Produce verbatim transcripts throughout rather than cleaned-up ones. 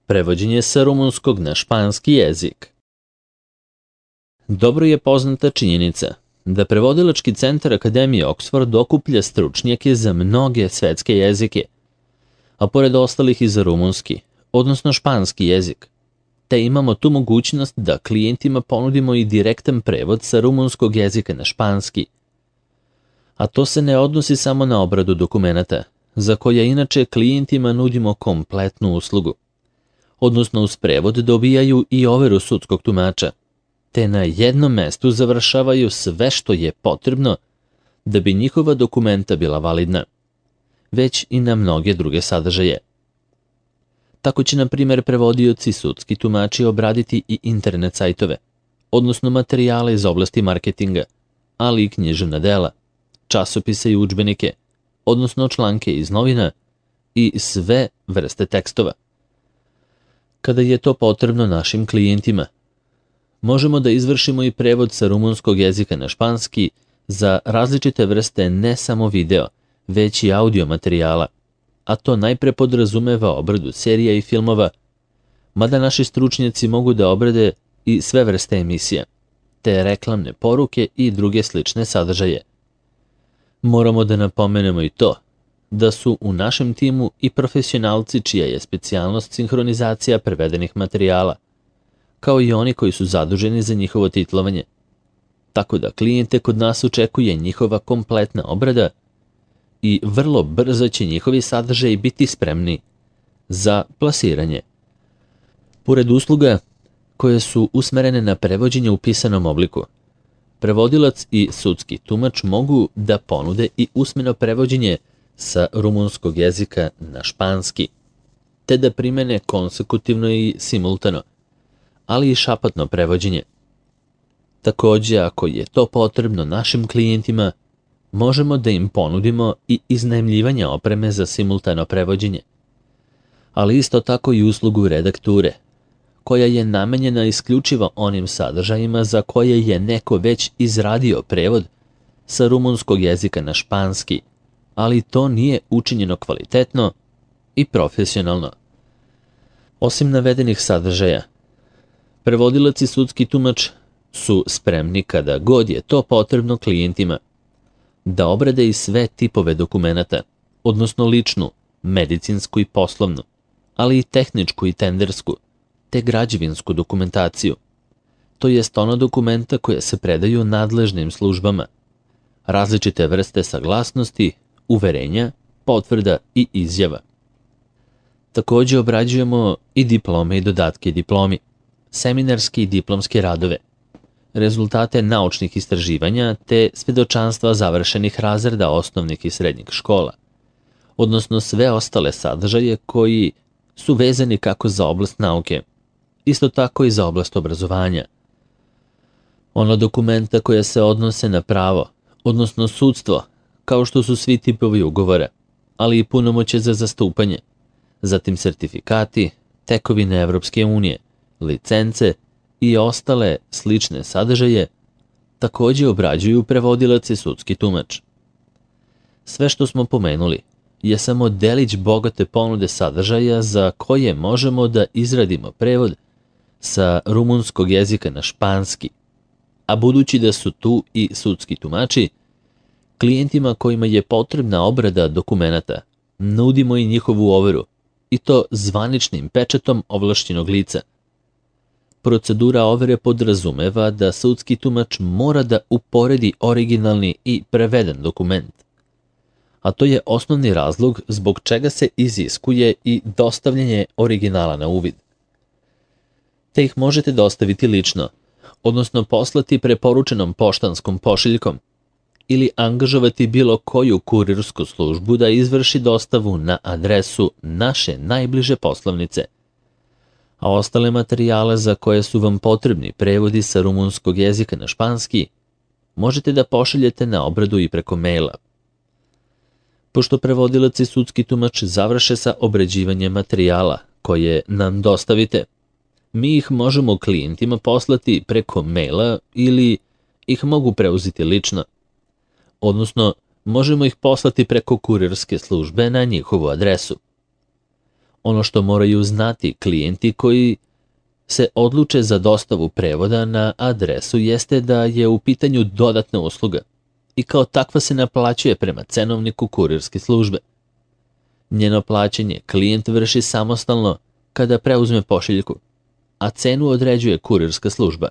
Prevođenje sa rumunskog na španski jezik. Dobro je poznata činjenica da Prevodilački centar Akademije Oxford okuplja stručnjake za mnoge svetske jezike, a pored ostalih i za rumunski, odnosno španski jezik, te imamo tu mogućnost da klijentima ponudimo i direktan prevod sa rumunskog jezika na španski. A to se ne odnosi samo na obradu dokumenata, za koje inače klijentima nudimo kompletnu uslugu, odnosno uz prevod dobijaju i overu sudskog tumača, te na jednom mestu završavaju sve što je potrebno da bi njihova dokumenta bila validna, već i na mnoge druge sadržaje. Tako će, na primjer, prevodioci sudski tumači obraditi i internet sajtove, odnosno materijale iz oblasti marketinga, ali i književna dela, časopise i udžbenike, odnosno članke iz novina i sve vrste tekstova. Kada je to potrebno našim klijentima, možemo da izvršimo i prevod sa rumunskog jezika na španski za različite vrste ne samo video, već i audio materijala, a to najpre podrazumeva obradu serija i filmova, mada naši stručnjaci mogu da obrade i sve vrste emisija, te reklamne poruke i druge slične sadržaje. Moramo da napomenemo i to da su u našem timu i profesionalci čija je specijalnost sinhronizacija prevedenih materijala, kao i oni koji su zaduženi za njihovo titlovanje. Tako da klijente kod nas očekuje njihova kompletna obrada i vrlo brzo će njihovi sadržaji biti spremni za plasiranje. Pored usluga koje su usmerene na prevođenje u pisanom obliku, prevodilac i sudski tumač mogu da ponude i usmeno prevođenje sa rumunskog jezika na španski, te da primene konsekutivno i simultano, ali i šapatno prevođenje. Takođe, ako je to potrebno našim klijentima, možemo da im ponudimo i iznajmljivanje opreme za simultano prevođenje, ali isto tako i uslugu redakture, koja je namenjena isključivo onim sadržajima za koje je neko već izradio prevod sa rumunskog jezika na španski, ali to nije učinjeno kvalitetno i profesionalno. Osim navedenih sadržaja, prevodilac i sudski tumač su spremni kada god je to potrebno klijentima da obrade i sve tipove dokumenata, odnosno ličnu, medicinsku i poslovnu, ali i tehničku i tendersku, te građevinsku dokumentaciju, to jest ona dokumenta koja se predaju nadležnim službama, različite vrste saglasnosti, uverenja, potvrda i izjava. Takođe obrađujemo i diplome i dodatke diplomi, seminarske i diplomske radove, rezultate naučnih istraživanja te svedočanstva završenih razreda osnovnih i srednjih škola, odnosno sve ostale sadržaje koji su vezani kako za oblast nauke, isto tako i za oblast obrazovanja. Ono dokumenta koja se odnose na pravo, odnosno sudstvo, kao što su svi tipovi ugovora, ali i punomoćje za zastupanje, zatim sertifikati, tekovine Evropske unije, licence i ostale slične sadržaje, takođe obrađuju prevodilac i sudski tumač. Sve što smo pomenuli je samo delić bogate ponude sadržaja za koje možemo da izradimo prevod sa rumunskog jezika na španski, a budući da su tu i sudski tumači, klijentima kojima je potrebna obrada dokumenata nudimo i njihovu overu, i to zvaničnim pečatom ovlašćenog lica. Procedura overe podrazumeva da sudski tumač mora da uporedi originalni i preveden dokument, a to je osnovni razlog zbog čega se iziskuje i dostavljanje originala na uvid. Te ih možete dostaviti lično, odnosno poslati preporučenom poštanskom pošiljkom ili angažovati bilo koju kurirsku službu da izvrši dostavu na adresu naše najbliže poslovnice, a ostale materijale za koje su vam potrebni prevodi sa rumunskog jezika na španski možete da pošaljete na obradu i preko maila. Pošto prevodilac i sudski tumač završe sa obrađivanjem materijala koje nam dostavite, mi ih možemo klijentima poslati preko maila ili ih mogu preuzeti lično, odnosno možemo ih poslati preko kurirske službe na njihovu adresu. Ono što moraju znati klijenti koji se odluče za dostavu prevoda na adresu jeste da je u pitanju dodatna usluga i kao takva se naplaćuje prema cenovniku kurirske službe. Njeno plaćanje klijent vrši samostalno kada preuzme pošiljku, a cenu određuje kurirska služba.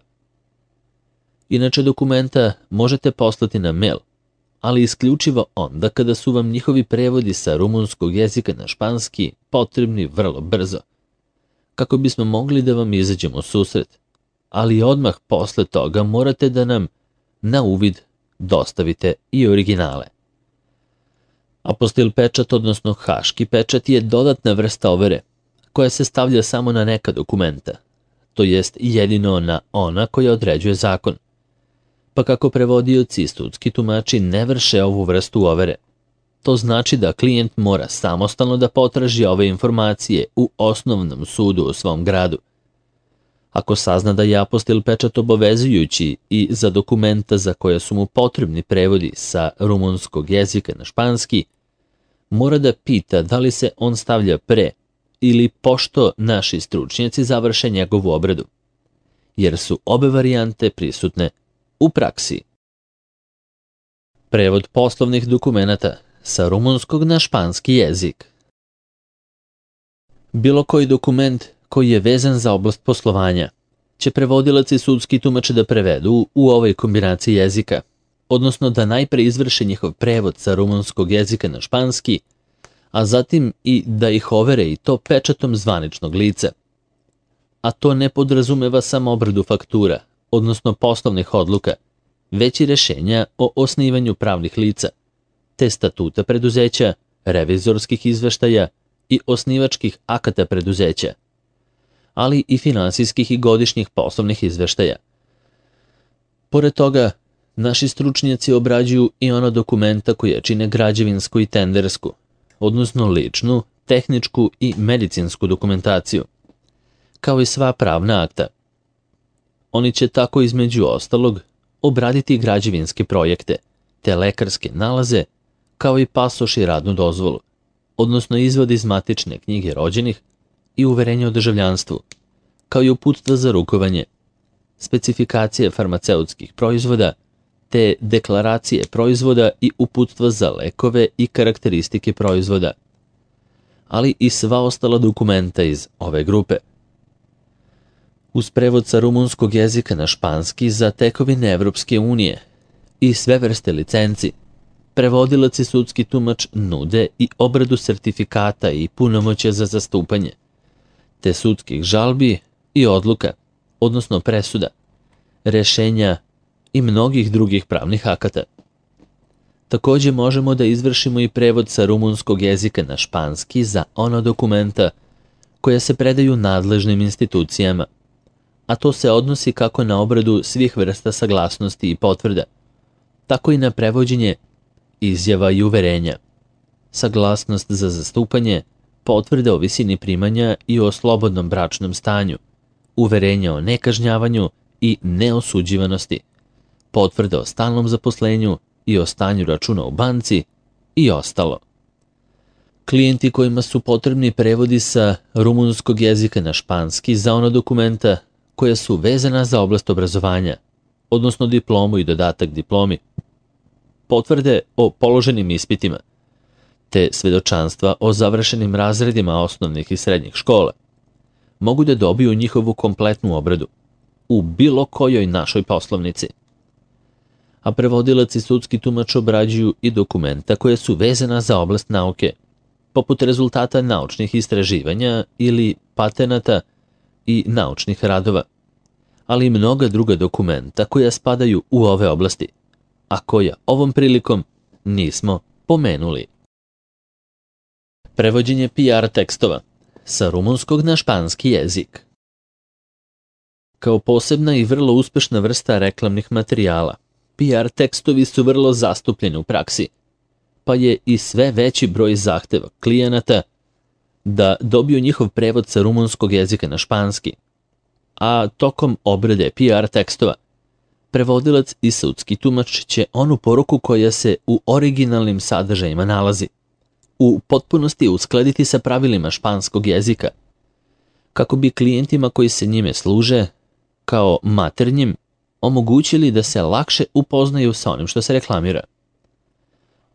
Inače, dokumenta možete poslati na mail, ali isključivo onda kada su vam njihovi prevodi sa rumunskog jezika na španski potrebni vrlo brzo, kako bismo mogli da vam izađemo u susret, ali odmah posle toga morate da nam na uvid dostavite i originale. Apostil pečat, odnosno haški pečat, je dodatna vrsta overe koja se stavlja samo na neka dokumenta, to jest jedino na ona koja određuje zakon. Pa kako prevodioci i sudski tumači ne vrše ovu vrstu overe, to znači da klijent mora samostalno da potraži ove informacije u osnovnom sudu u svom gradu. Ako sazna da je apostil pečat obavezujući i za dokumenta za koje su mu potrebni prevodi sa rumunskog jezika na španski, mora da pita da li se on stavlja pre ili pošto naši stručnjaci završe njegovu obradu, jer su obe varijante prisutne u praksi. Prevod poslovnih dokumenata sa rumunskog na španski jezik. Bilo koji dokument koji je vezan za oblast poslovanja će prevodilac i sudski tumač da prevedu u ovoj kombinaciji jezika, odnosno da najpre izvrše njihov prevod sa rumunskog jezika na španski, a zatim i da ih overe i to pečatom zvaničnog lica. A to ne podrazumeva samo obradu faktura, odnosno poslovnih odluka, već i rešenja o osnivanju pravnih lica, te statuta preduzeća, revizorskih izveštaja i osnivačkih akata preduzeća, ali i finansijskih i godišnjih poslovnih izveštaja. Pored toga, naši stručnjaci obrađuju i ona dokumenta koja čine građevinsku i tendersku, odnosno ličnu, tehničku i medicinsku dokumentaciju, kao i sva pravna akta. Oni će tako između ostalog obraditi građevinske projekte, te lekarske nalaze, kao i pasoš i radnu dozvolu, odnosno izvod iz matične knjige rođenih i uverenje o državljanstvu, kao i uputstva za rukovanje, specifikacije farmaceutskih proizvoda, te deklaracije proizvoda i uputstva za lekove i karakteristike proizvoda, ali i sva ostala dokumenta iz ove grupe. Uz prevod sa rumunskog jezika na španski za tekovine Evropske unije i sve vrste licenci, prevodilac i sudski tumač nude i obradu sertifikata i punomoćja za zastupanje, te sudskih žalbi i odluka, odnosno presuda, rešenja i mnogih drugih pravnih akata. Takođe možemo da izvršimo i prevod sa rumunskog jezika na španski za ona dokumenta koja se predaju nadležnim institucijama, a to se odnosi kako na obradu svih vrsta saglasnosti i potvrda, tako i na prevođenje izjava i uverenja, saglasnost za zastupanje, potvrde o visini primanja i o slobodnom bračnom stanju, uverenja o nekažnjavanju i neosuđivanosti, potvrde o stalnom zaposlenju i o stanju računa u banci i ostalo. Klijenti kojima su potrebni prevodi sa rumunskog jezika na španski za ona dokumenta koja su vezana za oblast obrazovanja, odnosno diplomu i dodatak diplomi, potvrde o položenim ispitima, te svedočanstva o završenim razredima osnovnih i srednjih škola, mogu da dobiju njihovu kompletnu obradu u bilo kojoj našoj poslovnici. A prevodilac i sudski tumač obrađuju i dokumenta koje su vezana za oblast nauke, poput rezultata naučnih istraživanja ili patenata i naučnih radova, ali i mnoga druga dokumenta koja spadaju u ove oblasti, a koja ovom prilikom nismo pomenuli. Prevođenje P R tekstova sa rumunskog na španski jezik. Kao posebna i vrlo uspešna vrsta reklamnih materijala, P R tekstovi su vrlo zastupljeni u praksi, pa je i sve veći broj zahteva klijenata da dobiju njihov prevod sa rumunskog jezika na španski, a tokom obrade P R tekstova prevodilac i sudski tumač će onu poruku koja se u originalnim sadržajima nalazi u potpunosti uskladiti sa pravilima španskog jezika, kako bi klijentima koji se njime služe, kao maternjim, omogućili da se lakše upoznaju sa onim što se reklamira.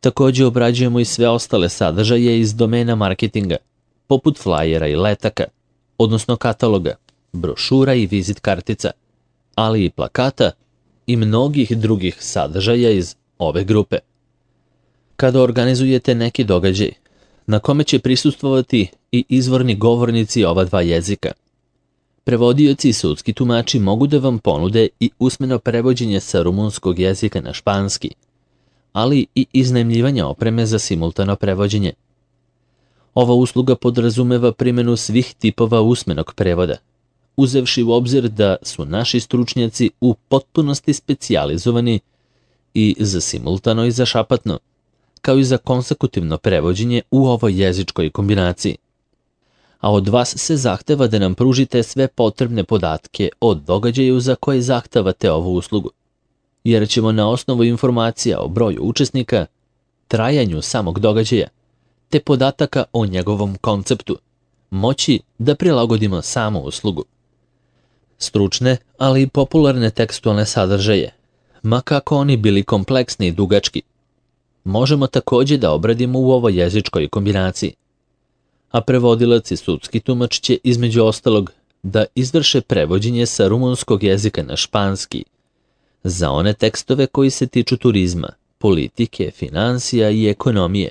Također obrađujemo i sve ostale sadržaje iz domena marketinga, poput flajera i letaka, odnosno kataloga, brošura i vizit kartica, ali i plakata i mnogih drugih sadržaja iz ove grupe. Kada organizujete neki događaj, na kome će prisustvovati i izvorni govornici ova dva jezika, prevodioci i sudski tumači mogu da vam ponude i usmeno prevođenje sa rumunskog jezika na španski, ali i iznajmljivanje opreme za simultano prevođenje. Ova usluga podrazumeva primjenu svih tipova usmenog prevoda, uzevši u obzir da su naši stručnjaci u potpunosti specijalizovani i za simultano i za šapatno, kao i za konsekutivno prevođenje u ovoj jezičkoj kombinaciji. A od vas se zahteva da nam pružite sve potrebne podatke o događaju za koje zahtevate ovu uslugu, jer ćemo na osnovu informacija o broju učesnika, trajanju samog događaja, te podataka o njegovom konceptu, moći da prilagodimo samu uslugu. Stručne, ali i popularne tekstualne sadržaje, ma kako oni bili kompleksni i dugački, možemo također da obradimo u ovoj jezičkoj kombinaciji. A prevodilac i sudski tumač će između ostalog da izvrše prevođenje sa rumunskog jezika na španski za one tekstove koji se tiču turizma, politike, financija i ekonomije,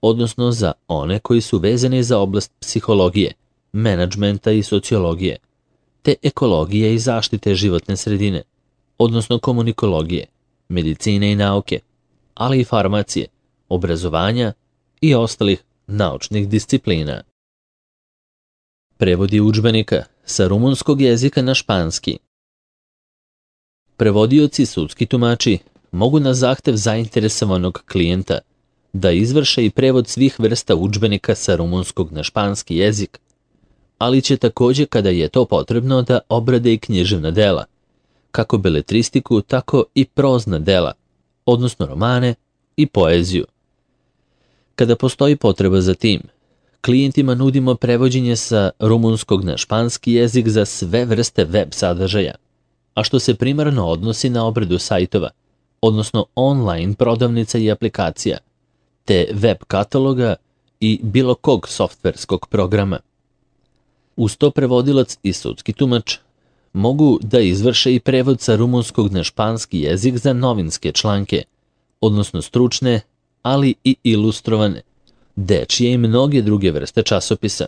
odnosno za one koji su vezani za oblast psihologije, menadžmenta i sociologije, te ekologije i zaštite životne sredine, odnosno komunikologije, medicine i nauke, ali i farmacije, obrazovanja i ostalih naučnih disciplina. Prevodi udžbenika sa rumunskog jezika na španski. Prevodioci i sudski tumači mogu na zahtev zainteresovanog klijenta da izvrše i prevod svih vrsta udžbenika sa rumunskog na španski jezik, ali će također kada je to potrebno da obrade i književna dela, kako beletristiku, tako i prozna dela, odnosno romane i poeziju. Kada postoji potreba za tim, klijentima nudimo prevođenje sa rumunskog na španski jezik za sve vrste web sadržaja, a što se primarno odnosi na obradu sajtova, odnosno online prodavnica i aplikacija, te web kataloga i bilo kog softverskog programa. Uz to prevodilac i sudski tumač mogu da izvrše i prevod sa rumunskog na španski jezik za novinske članke, odnosno stručne, ali i ilustrovane, dečije i mnoge druge vrste časopisa.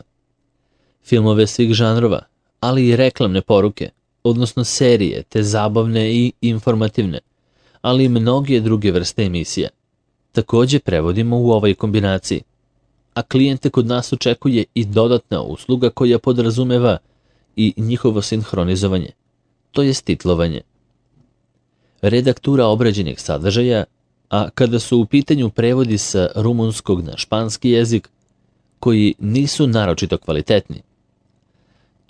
Filmove svih žanrova, ali i reklamne poruke, odnosno serije, te zabavne i informativne, ali i mnoge druge vrste emisija. Također prevodimo u ovoj kombinaciji, a klijente kod nas očekuje i dodatna usluga koja podrazumeva i njihovo sinhronizovanje, to jest titlovanje. Redaktura obrađenih sadržaja, a kada su u pitanju prevodi sa rumunskog na španski jezik, koji nisu naročito kvalitetni,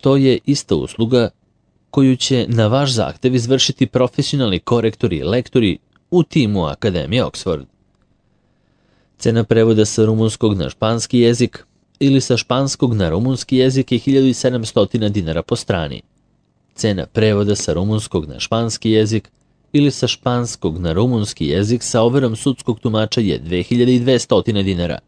to je ista usluga koju će na vaš zahtev izvršiti profesionalni korektori i lektori u timu Akademije Oxford. Cena prevoda sa rumunskog na španski jezik ili sa španskog na rumunski jezik je hiljadu sedamsto dinara po strani. Cena prevoda sa rumunskog na španski jezik ili sa španskog na rumunski jezik sa overom sudskog tumača je dve hiljade dvesta dinara.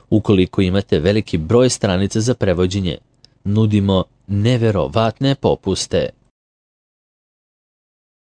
Ukoliko imate veliki broj stranica za prevođenje, nudimo neverovatne popuste.